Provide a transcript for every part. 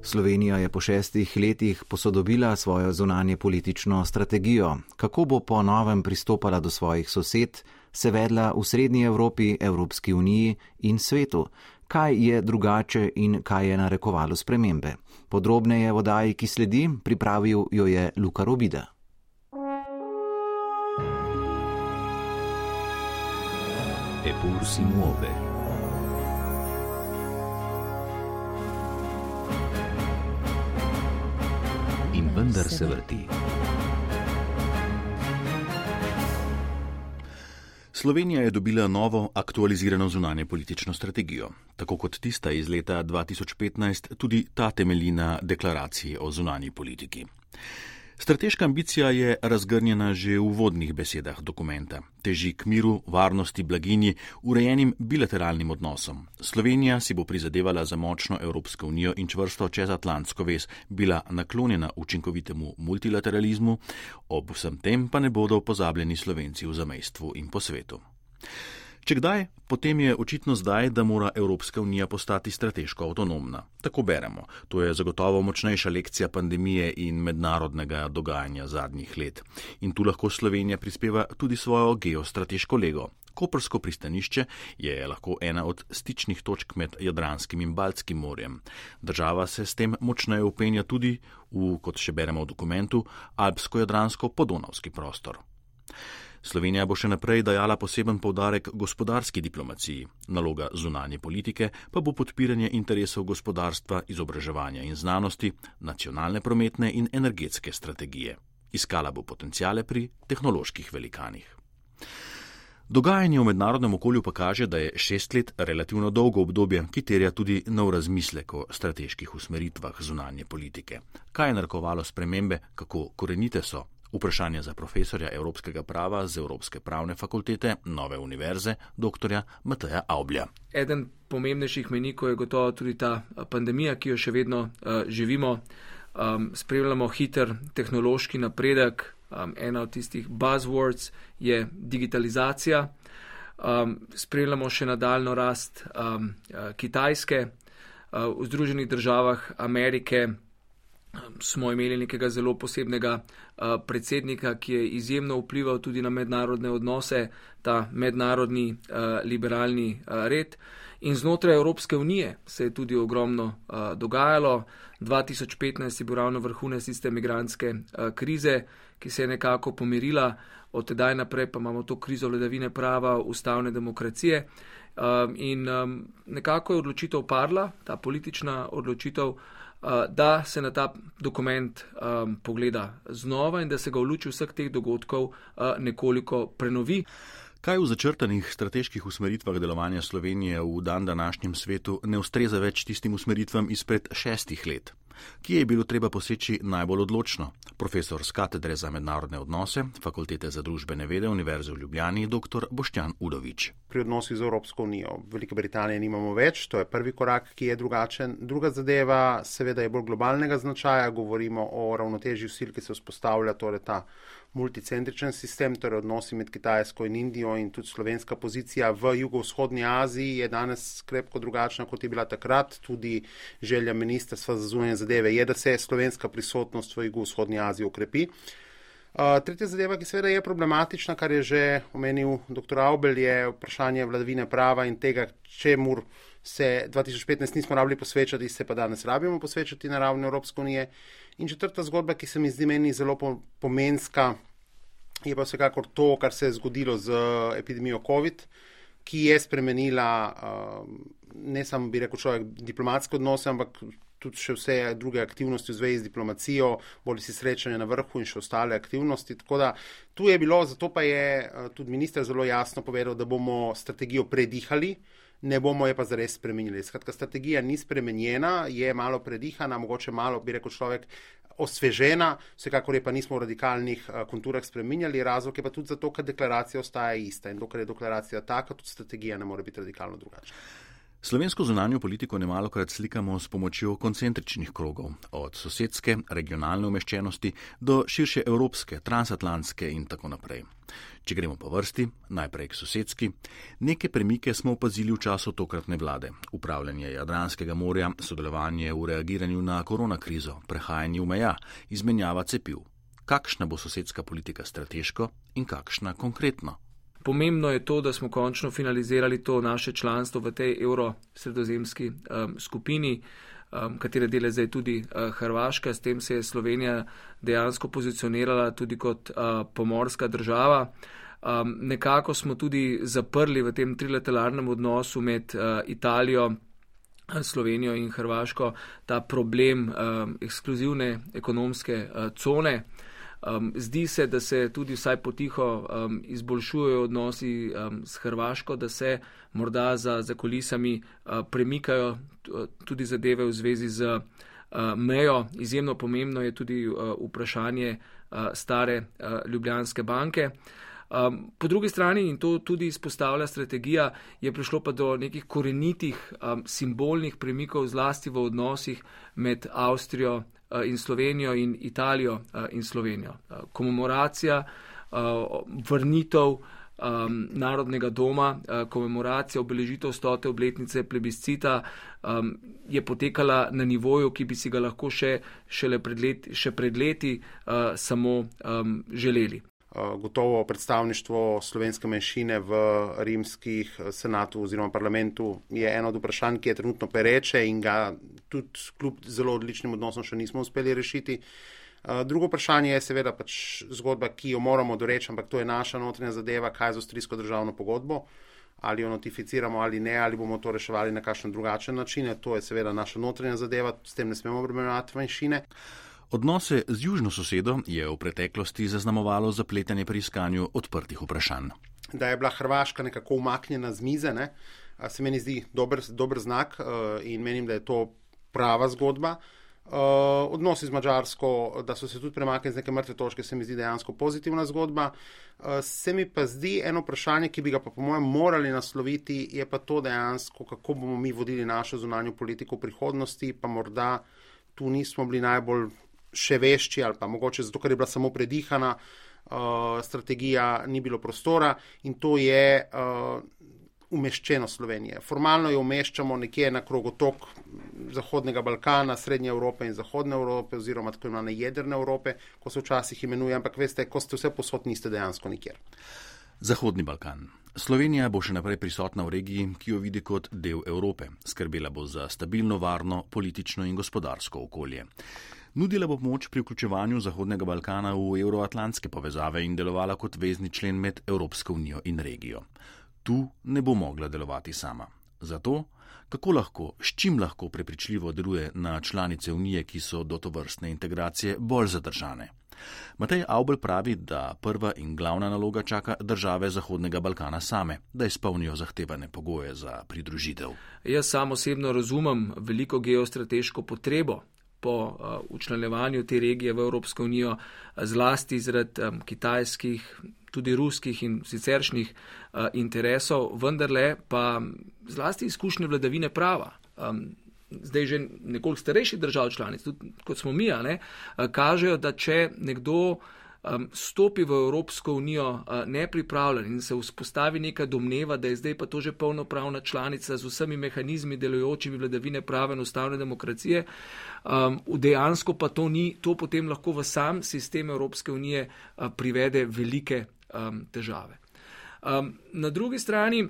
Slovenija je po 6 letih posodobila svojo zunanje politično strategijo. Kako bo po novem pristopala do svojih sosed, se vedla v Srednji Evropi, Evropski uniji in svetu? Kaj je drugače in kaj je narekovalo spremembe? Podrobneje v oddaji, ki sledi, pripravil jo je Luka Robida. Eppur si muove. In vendar se vrti. Slovenija je dobila novo, aktualizirano zunanje politično strategijo. Tako kot tista iz leta 2015, tudi ta temelji na deklaraciji o zunanji politiki. Strateška ambicija je razgrnjena že v uvodnih besedah dokumenta. Teži k miru, varnosti, blaginji, urejenim bilateralnim odnosom. Slovenija si bo prizadevala za močno Evropsko unijo in čvrsto čezatlantsko vez, bila naklonjena učinkovitemu multilateralizmu, ob vsem tem pa ne bodo pozabljeni Slovenci v zamejstvu in po svetu. Če kdaj, potem je očitno zdaj, da mora Evropska unija postati strateško avtonomna. Tako beremo. To je zagotovo močnejša lekcija pandemije in mednarodnega dogajanja zadnjih let. In tu lahko Slovenija prispeva tudi svojo geostrateško lego. Koprsko pristanišče je lahko ena od stičnih točk med Jadranskim in Baltskim morjem. Država se s tem močneje vpenja tudi v, kot še beremo v dokumentu, alpsko-jadransko-podonavski prostor. Slovenija bo še naprej dajala poseben poudarek gospodarski diplomaciji. Naloga zunanje politike pa bo podpiranje interesov gospodarstva, izobraževanja in znanosti, nacionalne prometne in energetske strategije. Iskala bo potenciale pri tehnoloških velikanih. Dogajanje v mednarodnem okolju pa kaže, da je 6 let relativno dolgo obdobje, ki terja tudi nov razmislek o strateških usmeritvah zunanje politike. Kaj je narekovalo spremembe, kako korenite so? Vprašanje za profesorja evropskega prava z Evropske pravne fakultete Nove univerze, dr. Mateja Avblja. Eden pomembnejših mejnikov je gotovo tudi ta pandemija, ki jo še vedno živimo. Spremljamo hiter tehnološki napredek. Ena od tistih buzzwords je digitalizacija. Spremljamo še nadaljno rast Kitajske. V Združenih državah Amerike smo imeli nekega zelo posebnega predsednika, ki je izjemno vplival tudi na mednarodne odnose, ta mednarodni liberalni red. In znotraj Evropske unije se je tudi ogromno dogajalo. 2015 je bil ravno vrhunec tiste migrantske krize, ki se je nekako pomirila. Od tedaj naprej pa imamo to krizo vladavine prava, ustavne demokracije. In nekako je odločitev padla, ta politična odločitev, da se na ta dokument pogleda znova in da se ga v luči vseh teh dogodkov nekoliko prenovi. Kaj v začrtanih strateških usmeritvah delovanja Slovenije v današnjem svetu ne ustreza več tistim usmeritvam izpred 6 let? Kje je bilo treba poseči najbolj odločno? Profesor z katedre za mednarodne odnose, Fakultete za družbene vede Univerze v Ljubljani, dr. Boštjan Udovič. Pri odnosih z Evropsko unijo Velike Britanije nimamo več, to je prvi korak, ki je drugačen. Druga zadeva seveda je bolj globalnega značaja, govorimo o ravnotežju sil, ki se vzpostavlja, torej ta multicentričen sistem, torej odnosi med Kitajsko in Indijo in tudi slovenska pozicija v jugovzhodni Aziji je danes krepko drugačna, kot je bila takrat. Tudi želja Ministrstva za zunanje zadeve je, da se slovenska prisotnost v jugovzhodni Aziji okrepi. Tretja zadeva, ki seveda je problematična, kar je že omenil dr. Avbelj, je vprašanje vladavine prava in tega, čemur se 2015 nismo rabili posvečati, se pa danes rabimo posvečati na ravni Evropske unije. In četrta zgodba, ki se mi zdi meni zelo pomenska, je pa vsekakor to, kar se je zgodilo z epidemijo COVID, ki je spremenila ne samo, bi rekel človek, diplomatske odnose, ampak tudi še vse druge aktivnosti v zvezi z diplomacijo, bolj si srečanje na vrhu in še ostale aktivnosti. Tako da tu je bilo, zato pa je tudi minister zelo jasno povedal, da bomo strategijo predihali, ne bomo je pa zares spremenili. Skratka, strategija ni spremenjena, je malo predihana, mogoče malo, bi rekel človek, osvežena, vsekakor je pa nismo v radikalnih konturah spreminjali, razlog je pa tudi zato, ker deklaracija ostaja ista in dokler je deklaracija taka, tudi strategija ne more biti radikalno drugačna. Slovensko zunanjo politiko nemalokrat slikamo s pomočjo koncentričnih krogov, od sosedske, regionalne umeščenosti do širše evropske, transatlantske in tako naprej. Če gremo po vrsti, najprej k sosedski, neke premike smo opazili v času tokratne vlade. Upravljanje Jadranskega morja, sodelovanje v reagiranju na koronakrizo, prehajanje v meja, izmenjava cepiv. Kakšna bo sosedska politika strateško in kakšna konkretno? Pomembno je to, da smo končno finalizirali to naše članstvo v tej evrosredozemski skupini, katere del je zdaj tudi Hrvaška. S tem se je Slovenija dejansko pozicionirala tudi kot pomorska država. Nekako smo tudi zaprli v tem trilateralnem odnosu med Italijo, Slovenijo in Hrvaško ta problem ekskluzivne ekonomske cone. Zdi se, da se tudi vsaj potiho izboljšujejo odnosi s Hrvaško, da se morda za kulisami premikajo tudi zadeve v zvezi z mejo. Izjemno pomembno je tudi vprašanje stare Ljubljanske banke. Po drugi strani, in to tudi izpostavlja strategija, je prišlo pa do nekih korenitih simbolnih premikov zlasti v odnosih med Avstrijo in Slovenijo in Italijo in Slovenijo. Komemoracija, vrnitev Narodnega doma, komemoracija obeležitev 100. obletnice plebiscita je potekala na nivoju, ki bi si ga lahko še pred leti samo želeli. Gotovo predstavništvo slovenske manjšine v rimskih senatu oziroma parlamentu je eno od vprašanj, ki je trenutno pereče in ga tudi kljub zelo odličnim odnosom še nismo uspeli rešiti. Drugo vprašanje je seveda pač zgodba, ki jo moramo doreči, ampak to je naša notranja zadeva, kaj z avstrijsko državno pogodbo, ali jo notificiramo ali ne, ali bomo to reševali na kakšen drugačen način. To je seveda naša notranja zadeva, s tem ne smemo obremenjevati manjšine. Odnose z južno sosedo je v preteklosti zaznamovalo zapletanje pri iskanju odprtih vprašanj. Da je bila Hrvaška nekako umaknjena z mize, se meni zdi dober znak in menim, da je to prava zgodba. Odnosi z Madžarsko, da so se tudi premaknili z neke mrtve točke, se mi zdi dejansko pozitivna zgodba. Se mi pa zdi eno vprašanje, ki bi ga pa po mojem morali nasloviti, je pa to dejansko, kako bomo mi vodili našo zunanjo politiko v prihodnosti, pa morda tu nismo bili najbolj še vešči ali pa mogoče zato, ker je bila samo predihana strategija, ni bilo prostora in to je umeščeno Slovenije. Formalno jo umeščamo nekje na krogotok Zahodnega Balkana, Srednje Evrope in Zahodne Evrope oziroma tako imenovane jedrne Evrope, ko se včasih imenuje, ampak veste, ko ste vse posod, niste dejansko nikjer. Zahodni Balkan. Slovenija bo še naprej prisotna v regiji, ki jo vidi kot del Evrope. Skrbela bo za stabilno, varno, politično in gospodarsko okolje. Nudila bo pomoč pri vključevanju Zahodnega Balkana v euroatlantske povezave in delovala kot vezni člen med Evropsko unijo in regijo. Tu ne bo mogla delovati sama. Zato, kako lahko, s čim lahko prepričljivo deluje na članice unije, ki so do tovrstne integracije bolj zadržane? Matej Avbelj pravi, da prva in glavna naloga čaka države Zahodnega Balkana same, da izpolnijo zahtevane pogoje za pridružitev. Jaz sam osebno razumem veliko geostrateško potrebo po učlanjevanju te regije v Evropsko unijo, zlasti zaradi kitajskih, tudi ruskih in siceršnjih interesov, vendarle pa zlasti izkušnje vladavine prava. Zdaj že nekoliko starejših držav članic, tudi kot smo mi, kažejo, da če nekdo stopi v Evropsko unijo nepripravljen in se vzpostavi neka domneva, da je zdaj pa to že polnopravna članica z vsemi mehanizmi delujočimi vladavine prava in ustavne demokracije, dejansko pa to ni, to potem lahko v sam sistem Evropske unije privede velike težave. Na drugi strani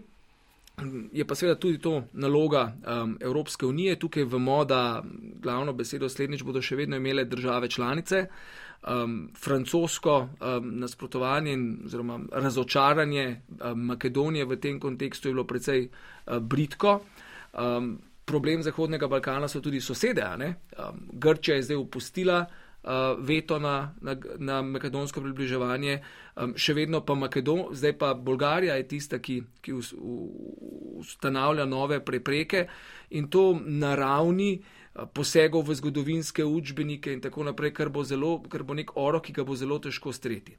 je pa seveda tudi to naloga Evropske unije. Tukaj vemo, da glavno besedo slednjič bodo še vedno imele države članice. Francosko nasprotovanje oziroma razočaranje Makedonije v tem kontekstu je bilo precej bridko. Problem Zahodnega Balkana so tudi sosede. Grčija je zdaj upustila veto na makedonsko približevanje, še vedno pa zdaj pa Bolgarija je tista, ki ustanavlja nove prepreke in to na ravni posegov v zgodovinske učbenike in tako naprej, kar bo nek orok, ki ga bo zelo težko streti.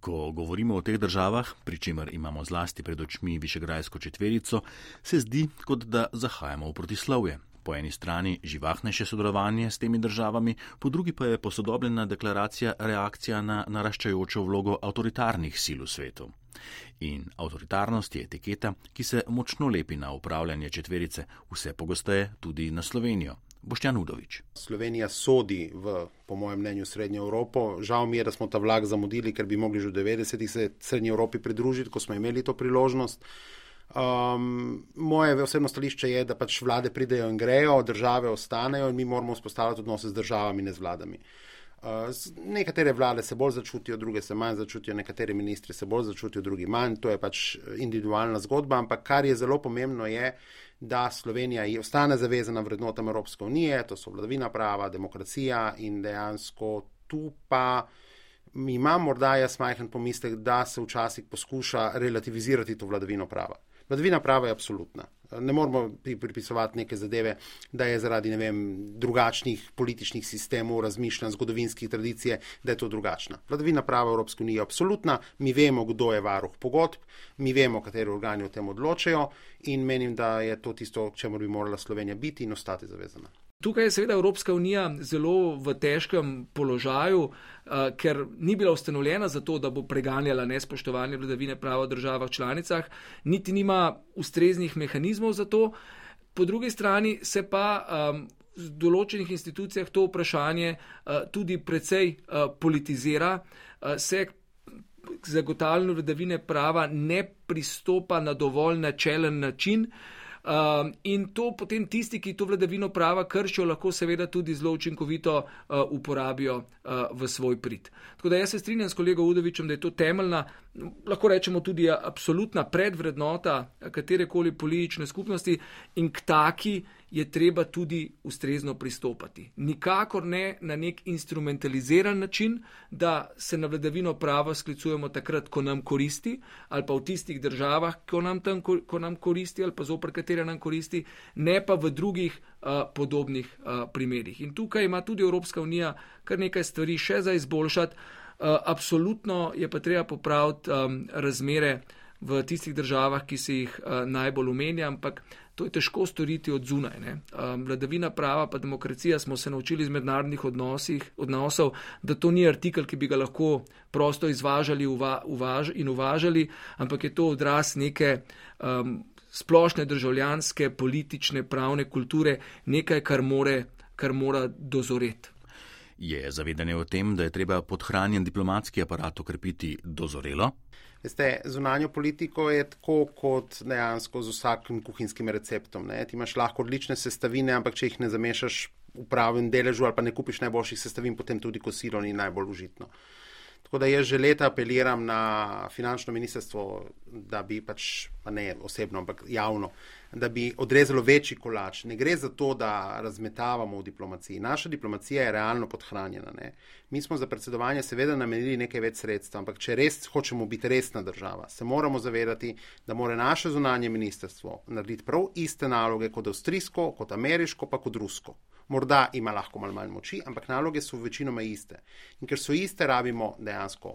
Ko govorimo o teh državah, pri čemer imamo zlasti pred očmi Višegrajsko četverico, se zdi, kot da zahajamo v protislovje. Po eni strani živahnejše sodelovanje s temi državami, po drugi pa je posodobljena deklaracija reakcija na naraščajočo vlogo avtoritarnih sil v svetu. In avtoritarnost je etiketa, ki se močno lepi na upravljanje četverice, vse pogosteje tudi na Slovenijo. Boštjan Udovič. Slovenija sodi v, po mojem mnenju, Srednjo Evropo. Žal mi je, da smo ta vlak zamudili, ker bi mogli že v 90-ih se Srednji Evropi pridružiti, ko smo imeli to priložnost. Moje osebno stališče je, da pač vlade pridejo in grejo, države ostanejo in mi moramo vzpostavljati odnose z državami, ne z vladami. Nekatere vlade se bolj začutijo, druge se manj začutijo, nekateri ministri se bolj začutijo, drugi manj. To je pač individualna zgodba, ampak kar je zelo pomembno je, da Slovenija ostane zavezana vrednotam Evropske unije, to so vladavina prava, demokracija in dejansko tu pa imam morda jaz majhen pomislek, da se včasih poskuša relativizirati to vladavino prava. Vladavina prava je absolutna. Ne moramo pripisovati neke zadeve, da je zaradi, drugačnih političnih sistemov, razmišljanj, zgodovinskih tradicije, da je to drugačna. Vladavina prava Evropske unije je absolutna, mi vemo, kdo je varuh pogodb, mi vemo, kateri organi o tem odločajo in menim, da je to tisto, čemu bi morala Slovenija biti in ostati zavezana. Tukaj je seveda Evropska unija zelo v težkem položaju, ker ni bila ustanovljena za to, da bo preganjala nespoštovanje vladavine prava v državah članicah, niti nima ustreznih mehanizmov za to. Po drugi strani se pa v določenih institucijah to vprašanje tudi precej politizira, se k zagotavljanju vladavine prava ne pristopa na dovolj načelen način. In to potem tisti, ki to vladavino prava kršijo, lahko seveda tudi zelo učinkovito uporabijo v svoj prid. Tako da jaz se strinjam s kolego Udovičem, da je to temeljna, lahko rečemo tudi absolutna predvrednota katerekoli politične skupnosti in k taki je treba tudi ustrezno pristopati. Nikakor ne na nek instrumentaliziran način, da se na vladavino prava sklicujemo takrat, ko nam koristi, ali pa v tistih državah, ko nam koristi, ali pa zoper katere nam koristi, ne pa v drugih podobnih primerih. In tukaj ima tudi Evropska unija kar nekaj stvari še za izboljšati. Absolutno je pa treba popraviti razmere v tistih državah, ki se jih najbolj omenja, ampak to je težko storiti od zunaj. Vladavina prava pa demokracija smo se naučili iz mednarodnih odnosov, da to ni artikel, ki bi ga lahko prosto izvažali in uvažali, ampak je to odraz neke splošne državljanske, politične, pravne kulture, nekaj, kar mora dozoreti. Je zavedanje o tem, da je treba podhranjen diplomatski aparat okrepiti dozorelo? Veste, zunanjo politiko je tako kot dejansko z vsakim kuhinskim receptom. Ti imaš lahko odlične sestavine, ampak če jih ne zamešaš v pravem deležu ali pa ne kupiš najboljših sestavin, potem tudi kosilo ni najbolj užitno. Tako da jaz že leta apeliram na finančno ministrstvo, da bi pač, pa ne osebno, ampak javno, da bi odrezalo večji kolač. Ne gre za to, da razmetavamo v diplomaciji. Naša diplomacija je realno podhranjena. Mi smo za predsedovanje seveda namenili nekaj več sredstev, ampak če res hočemo biti resna država, se moramo zavedati, da mora naše zunanje ministrstvo narediti prav iste naloge kot avstrijsko, kot ameriško, pa kot rusko. Morda ima lahko malo manj moči, ampak naloge so večinoma iste. In ker so iste, rabimo dejansko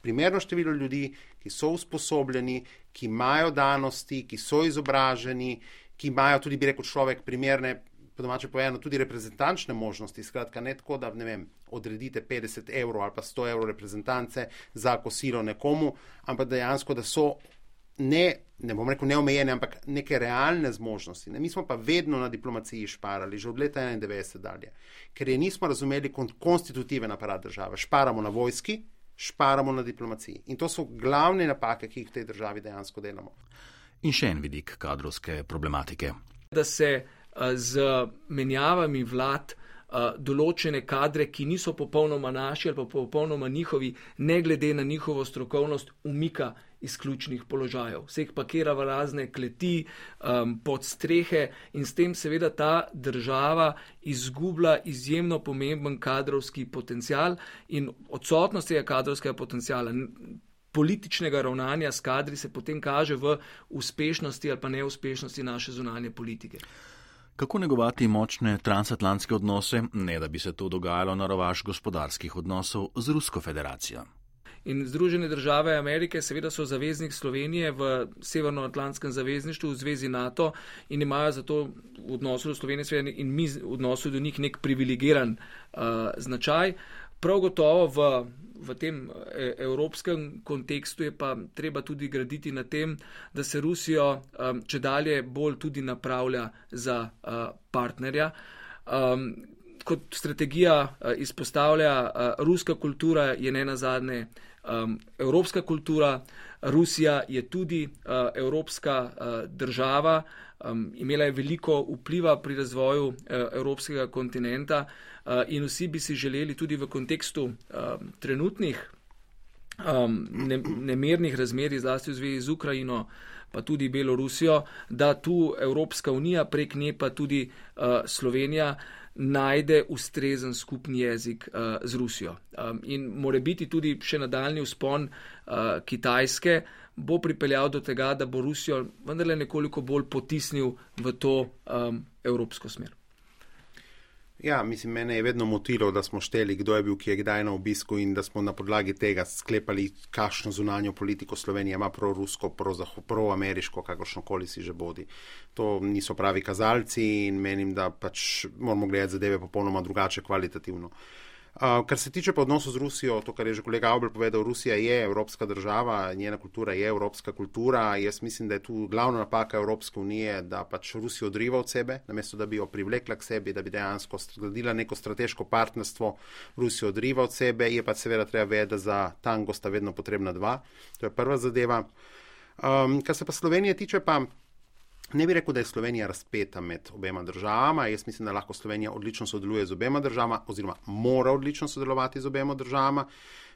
primerno število ljudi, ki so usposobljeni, ki imajo danosti, ki so izobraženi, ki imajo tudi, bi rekel človek, primerne, po domače povedano, tudi reprezentančne možnosti. Skratka, ne tako, da odredite 50 evrov ali pa 100 evrov reprezentance za kosilo nekomu, ampak dejansko, da so ne bom rekel neomejene, ampak neke realne zmožnosti. Mi smo pa vedno na diplomaciji šparali, že od leta 1991 dalje, ker je nismo razumeli konstitutiven aparat države. Šparamo na vojski, šparamo na diplomaciji. In to so glavne napake, ki jih v tej državi dejansko delamo. In še en vidik kadrovske problematike. Da se z menjavami vlad določene kadre, ki niso popolnoma naši ali pa popolnoma njihovi, ne glede na njihovo strokovnost, umika iz ključnih položajev. Vseh pakira v razne kleti, pod strehe in s tem seveda ta država izgublja izjemno pomemben kadrovski potencial in odsotnost tega kadrovskega potenciala, političnega ravnanja s kadri se potem kaže v uspešnosti ali pa neuspešnosti naše zunanje politike. Kako negovati močne transatlantske odnose, ne da bi se to dogajalo na rovaš gospodarskih odnosov z Rusko federacijo? In Združene države Amerike seveda so zaveznik Slovenije v Severnoatlantskem zavezništvu, v zvezi NATO in imajo zato v odnosu do Slovenije in mi v odnosu do njih nek privilegiran značaj. Prav gotovo v tem evropskem kontekstu je pa treba tudi graditi na tem, da se Rusijo čedalje bolj tudi napravlja za partnerja. Kot strategija izpostavlja, ruska kultura je nenazadnje evropska kultura, Rusija je tudi evropska država, imela je veliko vpliva pri razvoju evropskega kontinenta in vsi bi si želeli tudi v kontekstu trenutnih nemirnih razmerij, zlasti v zvezi z Ukrajino, pa tudi Belorusijo, da tu Evropska unija, prek nje pa tudi Slovenija najde ustrezen skupni jezik z Rusijo. In morebiti tudi še nadaljnji vzpon Kitajske bo pripeljal do tega, da bo Rusijo vendarle nekoliko bolj potisnil v to evropsko smer. Ja, mislim, mene je vedno motilo, da smo šteli, kdo je bil, ki je kdaj na obisku in da smo na podlagi tega sklepali, kakšno zunanjo politiko Slovenija ima prorusko, proameriško, kakršnokoli si že bodi. To niso pravi kazalci in menim, da pač moramo gledati zadeve popolnoma drugače kvalitativno. Kar se tiče pa odnosov z Rusijo, to, kar je že kolega Avbelj povedal, Rusija je evropska država, njena kultura je evropska kultura. Jaz mislim, da je tu glavna napaka Evropske unije, da pač Rusijo odriva od sebe, namesto da bi jo privlekla k sebi, da bi dejansko zgradila neko strateško partnerstvo, Rusijo odriva od sebe, je pa seveda treba vedeti, da za tango sta vedno potrebna dva. To je prva zadeva. Kar se pa Slovenije tiče, pa ne bi rekel, da je Slovenija razpeta med obema državama. Jaz mislim, da lahko Slovenija odlično sodeluje z obema državama oziroma mora odlično sodelovati z obema državama.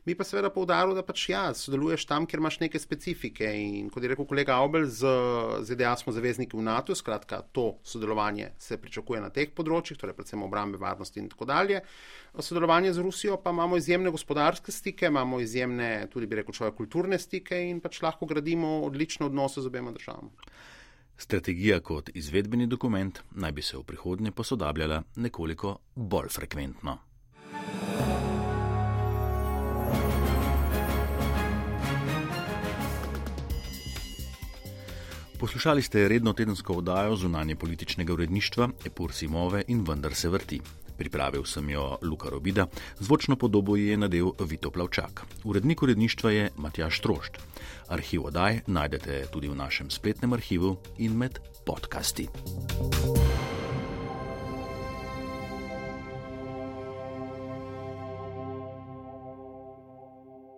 Bi pa seveda poudaril, da pač sodeluješ tam, kjer imaš neke specifike in kot je rekel kolega Avbelj, z ZDA smo zavezniki v NATO, skratka to sodelovanje se pričakuje na teh področjih, torej predvsem obrambe, varnosti in tako dalje. Sodelovanje z Rusijo pa imamo izjemne gospodarske stike, imamo izjemne tudi bi rekel človek kulturne stike in pač lahko gradimo odlične odnose z obema državama. Strategija kot izvedbeni dokument naj bi se v prihodnje posodabljala nekoliko bolj frekventno. Poslušali ste redno tedensko oddajo zunanje političnega uredništva Epur Simove in Vendar se vrti. Pripravil sem jo Luka Robida, zvočno podobo je nadel Vito Plavčak. Urednik uredništva je Matjaž Strošt. Arhiv oddaj najdete tudi v našem spletnem arhivu in med podcasti.